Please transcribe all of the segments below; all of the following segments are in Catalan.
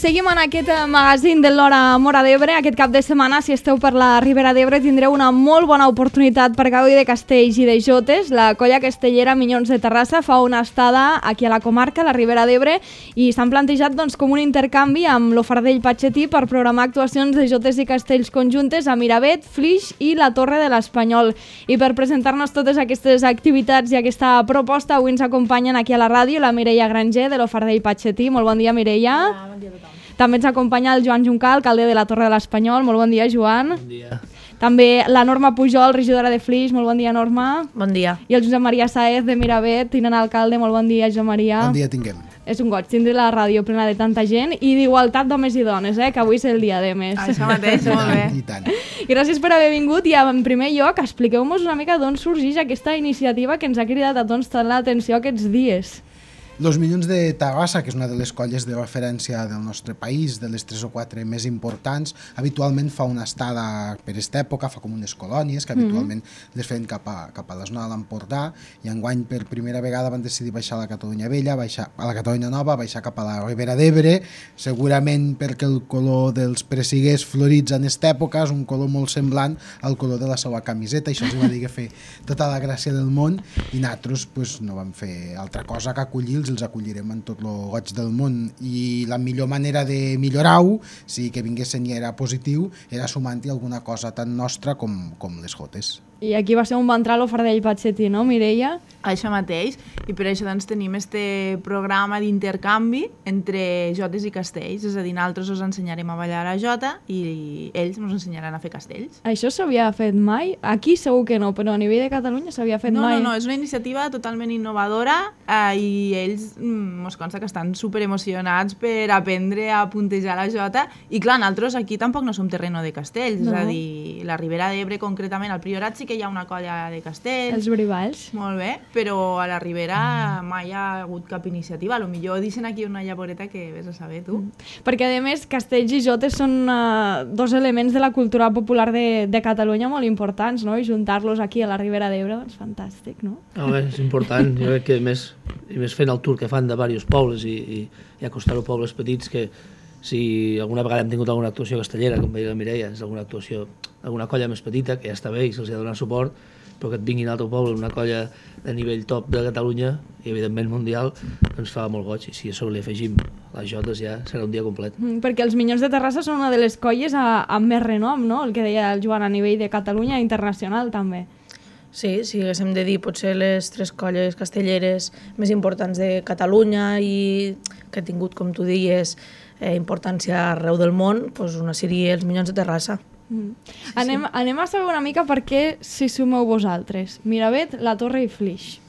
seguim en aquest magazín de l'Hora Móra d'Ebre. Aquest cap de setmana, si esteu per la Ribera d'Ebre, tindreu una molt bona oportunitat per gaudir de castells i de jotes. La colla castellera Minyons de Terrassa fa una estada aquí a la comarca, a la Ribera d'Ebre, i s'han plantejat com un intercanvi amb l'Ofardell Patxetí per programar actuacions de jotes i castells conjuntes a Miravet, Flix i la Torre de l'Espanyol. I per presentar-nos totes aquestes activitats i aquesta proposta, avui ens acompanyen aquí a la ràdio la Mireia Granger de l'Ofardell Patxetí. Molt bon dia, Mireia. Bon dia a tothom. També ens acompanya el Joan Juncal, alcalde de la Torre de l'Espanyol. Molt bon dia, Joan. Bon dia. També la Norma Pujol, regidora de Flix. Molt bon dia, Norma. Bon dia. I el Josep Maria Saez de Miravet, tinent alcalde. Molt bon dia, Josep Maria. Bon dia tinguem. És un goig tindre la ràdio plena de tanta gent i d'igualtat d'homes i dones, que avui és el dia de més. Això mateix, molt bé. I tant. Gràcies per haver vingut i en primer lloc expliqueu-nos una mica d'on sorgeix aquesta iniciativa que ens ha cridat a tots tant l'atenció aquests dies. Los Minyons de Terrassa, que és una de les colles de referència del nostre país, de les 3 o 4 més importants, habitualment fa una estada per aquesta època, fa com unes colònies que habitualment les feien cap a la zona de l'Empordà, i enguany per primera vegada van decidir baixar a la Catalunya Vella, baixar a la Catalunya Nova, baixar cap a la Ribera d'Ebre, segurament perquè el color dels pressiguers florits en aquesta època és un color molt semblant al color de la seva camiseta, i això els va dir que fer tota la gràcia del món, i nosaltres pues, no vam fer altra cosa que acollir, els acollirem en tot el goig del món, i la millor manera de millorar-ho, si que vinguessin i era positiu, era sumant-hi alguna cosa tan nostra com les jotes. I aquí va ser on va entrar l'Ofardell Patxetí, no, Mireia? Això mateix, i per això doncs, tenim este programa d'intercanvi entre jotes i castells, és a dir, nosaltres us ensenyarem a ballar a jota i ells ens ensenyaran a fer castells. Això s'havia fet mai? Aquí segur que no, però a nivell de Catalunya s'havia fet mai. No, és una iniciativa totalment innovadora i ells mos consta que estan superemocionats per aprendre a puntejar la jota, i clar, nosaltres aquí tampoc no som terreno de castells, és a dir, la Ribera d'Ebre concretament, al Priorat sí que hi ha una colla de castells. Els brivalls. Molt bé, però a la Ribera mai hi ha hagut cap iniciativa. A lo millor deixen aquí una llavoreta que vés a saber, tu. Perquè, a més, castells i jotes són dos elements de la cultura popular de Catalunya molt importants, no? I juntar-los aquí a la Ribera d'Ebre, doncs fantàstic, no? És important. Jo crec que més fent el tour que fan de diversos pobles i acostar-ho a pobles petits, que si alguna vegada hem tingut alguna actuació castellera, com veia la Mireia, és alguna colla més petita, que ja està bé i se'ls ha de donar suport, però que et vinguin a l'altre poble, una colla de nivell top de Catalunya i evidentment mundial, ens fa molt goig, i si a sobre li afegim les jotes ja serà un dia complet. Perquè els Minyons de Terrassa són una de les colles amb més renom, no? El que deia el Joan, a nivell de Catalunya i internacional també. Sí, si haguéssim de dir potser les 3 colles castelleres més importants de Catalunya i que ha tingut, com tu dies, importància arreu del món, doncs una seria els Minyons de Terrassa. Anem a saber una mica per què s'hi sumeu vosaltres. Miravet, la Torre i Flix.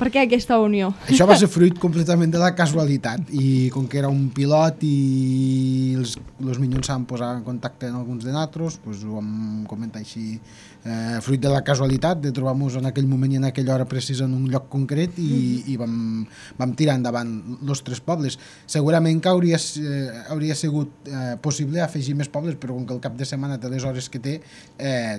Per què aquesta unió? Això va ser fruit completament de la casualitat, i com que era un pilot i els Minyons s'han posat en contacte amb alguns de nosaltres, doncs ho vam comentar així, fruit de la casualitat de trobar-nos en aquell moment i en aquella hora precisa en un lloc concret, i vam tirar endavant els 3 pobles. Segurament que hauria sigut possible afegir més pobles, però com que el cap de setmana té les hores que té,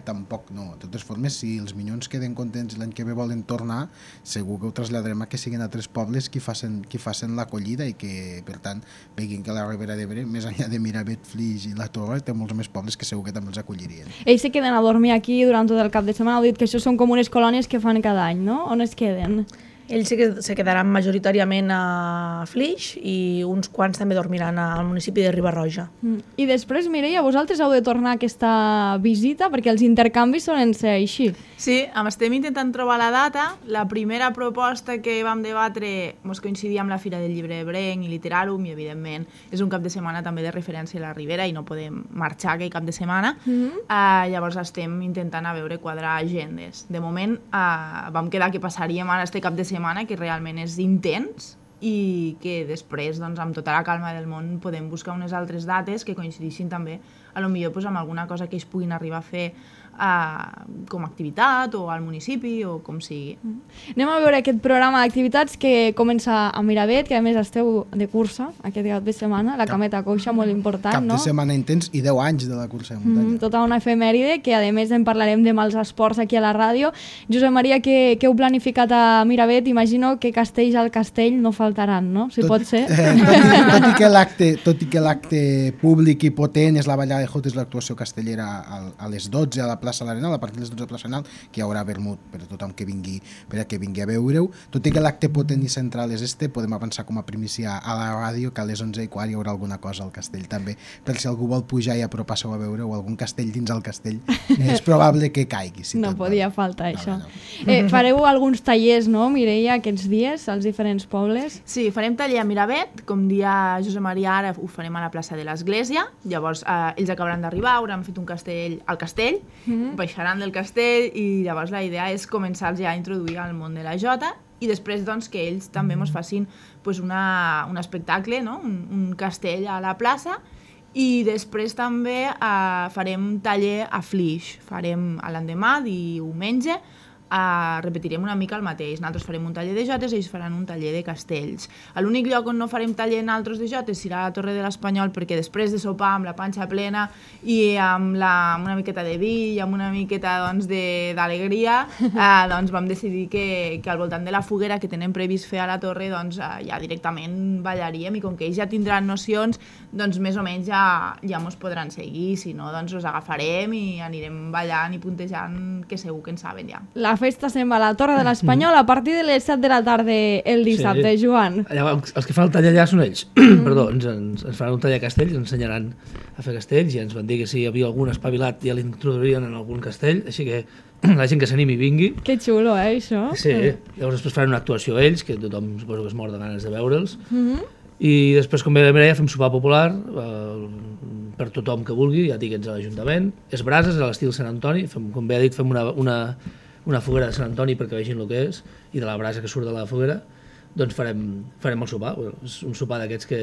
tampoc no. De totes formes, si els Minyons queden contents i l'any que ve volen tornar, segur que ho traslladarem a que siguin a 3 pobles qui facin l'acollida, i que, per tant, veguin que la Ribera d'Ebre, més enllà de Miravet, Flix i la Torre, té molts més pobles que segur que també els acollirien. Ells se queden a dormir aquí durant tot el cap de setmana. Heu dit que això són com unes colònies que fan cada any, no? On es queden? Ells se quedaran majoritàriament a Flix i uns quants també dormiran al municipi de Riba-roja. I després, Mireia, vosaltres heu de tornar a aquesta visita perquè els intercanvis solen ser així. Sí, estem intentant trobar la data. La primera proposta que vam debatre mos coincidia amb la Fira del Llibre Ebrenc i Literàrum, i evidentment és un cap de setmana també de referència a la Ribera i no podem marxar aquell cap de setmana. Llavors estem intentant a veure quadrar agendes. De moment vam quedar que passaríem ara este cap de setmana, que realment és intens, i que després, doncs, amb tota la calma del món, podem buscar unes altres dates que coincidissin també potser pues, amb alguna cosa que ells puguin arribar a fer com a activitat o al municipi o com sigui. Anem a veure aquest programa d'activitats que comença a Miravet, que a més esteu de cursa aquest cap de setmana, la Cameta Coixa, molt important, no? Cap de setmana intens i 10 anys de la cursa de muntanya. Tota una efemèride, que a més en parlarem de mals esports aquí a la ràdio. Josep Maria, què heu planificat a Miravet? Imagino que castells al castell no faltaran, no? Si pot ser. Tot i que l'acte públic i potent és la ballada de jotes, l'actuació castellera a les 12 a la plaça l'Arenal, a partir de les 12 a la plaça l'Arenal, que hi haurà vermut per a tothom que vingui, per a que vingui a veure-ho. Tot i que l'acte potent i central és podem avançar com a primícia a la ràdio que a les 11:15 hi haurà alguna cosa al castell també, per si algú vol pujar i apropar-se-ho a veure o algun castell dins el castell, és probable que caigui. Si no podia faltar això. Fareu alguns tallers, no, Mireia, aquests dies als diferents pobles? Sí, farem taller a Miravet, com dia Josep Maria ara ho farem a la plaça de l'Església, llavors ells acabaran d'arribar, hauran fet un castell al castell, baixaran del castell i llavors la idea és començar ja a introduir al món de la jota i després doncs, que ells també ens facin pues, un espectacle, no? un castell a la plaça i després també farem taller a Flix, farem l'endemà, diumenge, repetirem una mica el mateix. Nosaltres farem un taller de jotes i ells faran un taller de castells. L'únic lloc on no farem taller nosaltres de jotes serà a la Torre de l'Espanyol, perquè després de sopar amb la panxa plena i amb una miqueta de vi i amb una miqueta d'alegria, doncs vam decidir que al voltant de la foguera que tenen previst fer a la Torre ja directament ballaríem i com que ells ja tindran nocions, doncs més o menys ja ens podran seguir, si no doncs els agafarem i anirem ballant i puntejant, que segur que en saben ja. La festa se'n va a la Torre de l'Espanyol a partir de les 7 de la tarda el dissabte, Joan. Allà, els que fan el taller allà són ells. Perdó, ens faran un taller a castells, ens ensenyaran a fer castells i ens van dir que si hi havia algun espavilat ja l'introduirien en algun castell, així que la gent que s'animi vingui. Que xulo, això? Sí, llavors després faran una actuació ells, que tothom suposo que es mor de ganes de veure'ls. I després, com bé la Mireia, fem sopar popular per tothom que vulgui, ja tiquets a l'Ajuntament. És brases, a l'estil Sant Antoni, com bé ha dit, fem una foguera de Sant Antoni perquè vegin el que és, i de la brasa que surt de la foguera, doncs farem el sopar. És un sopar d'aquests que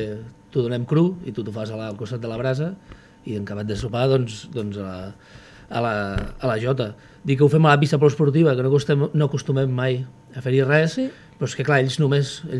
t'ho donem cru i tu t'ho fas al costat de la brasa i en acabat de sopar doncs a la jota. Dir que ho fem a la pista poliesportiva, que no acostumem mai a fer-hi res, però és que clar, ells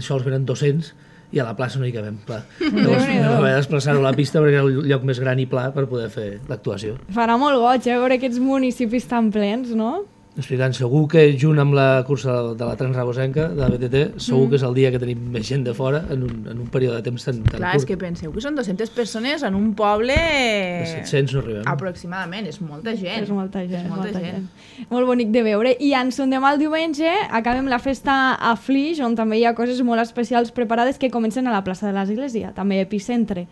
sols venen 200 i a la plaça no hi cabem, clar. Llavors vam haver de desplaçar-ho a la pista perquè era el lloc més gran i pla per poder fer l'actuació. Farà molt goig, veure aquests municipis tan plens, no? Explicant, segur que junt amb la cursa de la Transrabosenca, de la BTT, segur que és el dia que tenim més gent de fora en un període de temps tan curt. Clar, és que penseu que són 200 persones en un poble... De 700 no arribem. Aproximadament, és molta gent. És molta gent. Molt bonic de veure. I ens demà el diumenge acabem la festa a Flix, on també hi ha coses molt especials preparades que comencen a la plaça de l'Església, també epicentre.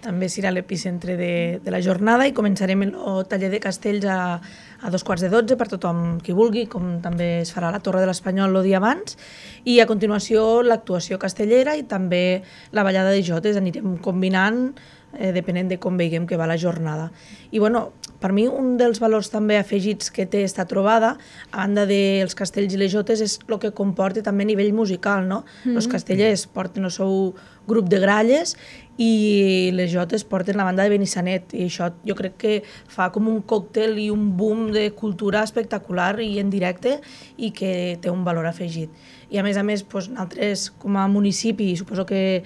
També serà l'epicentre de la jornada i començarem el taller de castells a 11:15 per tothom qui vulgui, com també es farà a la Torre de l'Espanyol el dia abans, i a continuació l'actuació castellera i també la ballada de jotes. Anirem combinant depenent de com veiem que va la jornada. I bueno, per mi un dels valors també afegits que té esta trobada, a banda dels castells i les jotes, és el que comporta també a nivell musical, no? Els castellers porten el seu grup de gralles i les jotes porten la banda de Benissanet, i això jo crec que fa com un còctel i un boom de cultura espectacular i en directe i que té un valor afegit. I a més, nosaltres com a municipi, i suposo que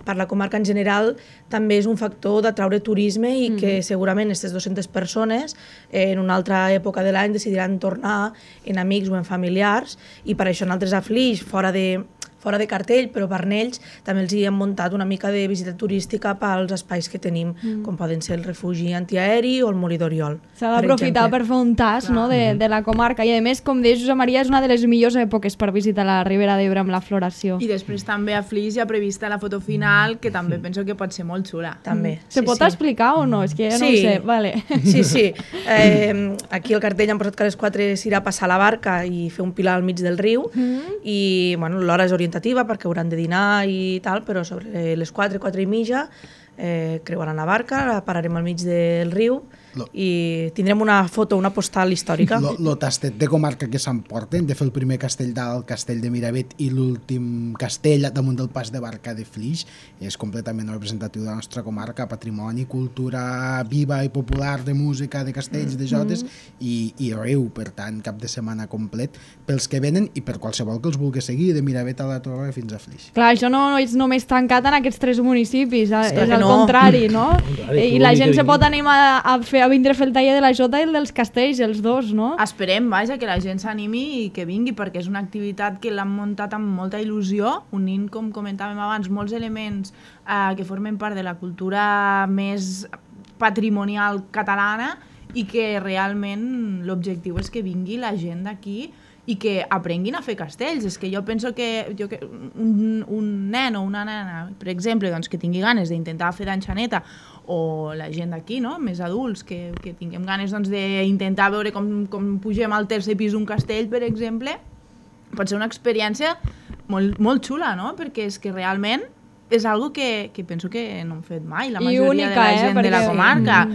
per la comarca en general, també és un factor d'atraure turisme i que segurament aquestes 200 persones en una altra època de l'any decidiran tornar en amics o en familiars, i per això nosaltres a Flix, fora de cartell, però per ells també els hi hem muntat una mica de visita turística pels espais que tenim, com poden ser el refugi antiaeri o el Molí d'Oriol. S'ha d'aprofitar per fer un tas, no, de la comarca, i a més, com deia Josep Maria, és una de les millors èpoques per visitar la Ribera d'Ebre amb la floració. I després també a Flix hi ha prevista la foto final, que també penso que pot ser molt xula. També. Se pot explicar o no? És que ja no ho sé. Vale. Sí. Aquí al cartell han posat que a les 4 s'irà a passar la barca i fer un pilar al mig del riu, i bueno, l'hora és orientativa perquè hauran de dinar i tal, però sobre les 4 i mitja creuaran la barca, la pararem al mig del riu i tindrem una foto, una postal històrica. Lo tastet de comarca que s'emporten, de fer el primer castell dalt, el castell de Miravet, i l'últim castell damunt del pas de barca de Flix, és completament representatiu de la nostra comarca, patrimoni, cultura viva i popular de música, de castells, de jotes, i riu, per tant, cap de setmana complet pels que venen i per qualsevol que els vulgui seguir, de Miravet a la Torre fins a Flix. Clar, això no és només tancat en aquests 3 municipis, és al no. contrari, no? I la gent que se pot animar a vindre a fer el taller de la Jota i el dels castells, els dos, no? Esperem, vaja, que la gent s'animi i que vingui, perquè és una activitat que l'han muntat amb molta il·lusió, unint, com comentàvem abans, molts elements que formen part de la cultura més patrimonial catalana i que realment l'objectiu és que vingui la gent d'aquí i que aprenguin a fer castells. És que jo penso que un nen o una nena, per exemple, doncs, que tingui ganes d'intentar fer d'enxaneta, o la gent d'aquí, no? Més adults, que tinguem ganes doncs, d'intentar veure com pugem al tercer pis d'un castell, per exemple, pot ser una experiència molt, molt xula, no? Perquè és que realment és algo que penso que no hem fet mai, la majoria única, de la gent de la comarca.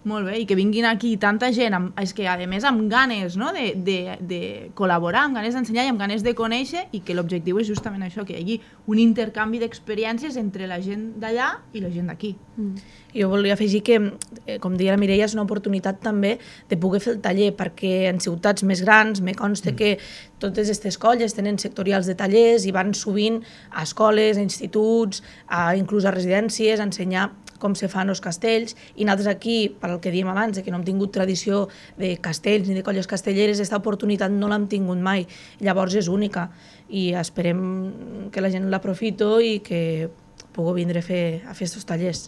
Molt bé, i que vinguin aquí tanta gent, és que a més amb ganes, no? de col·laborar, amb ganes d'ensenyar i amb ganes de conèixer, i que l'objectiu és justament això, que hi hagi un intercanvi d'experiències entre la gent d'allà i la gent d'aquí. Jo volia afegir que, com deia la Mireia, és una oportunitat també de poder fer el taller, perquè en ciutats més grans me consta que totes aquestes colles tenen sectorials de tallers i van sovint a escoles, a instituts, inclús a residències, a ensenyar com se fan els castells, i nosaltres aquí, per al que diem abans, que no hem tingut tradició de castells ni de colles castelleres, aquesta oportunitat no l'hem tingut mai, llavors és única, i esperem que la gent l'aprofito i que pugui vindre a fer aquests tallers.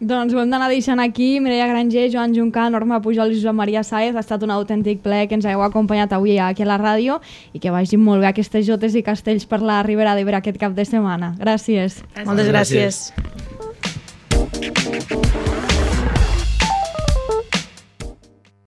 Doncs ho hem d'anar deixant aquí. Mireia Granger, Joan Juncà, Norma Pujol i Josep Maria Sáez. Ha estat un autèntic plaer que ens hagueu acompanyat avui aquí a la ràdio i que vagin molt bé aquestes jotes i castells per la Ribera d'Ebre aquest cap de setmana. Gràcies. Moltes gràcies. Gràcies.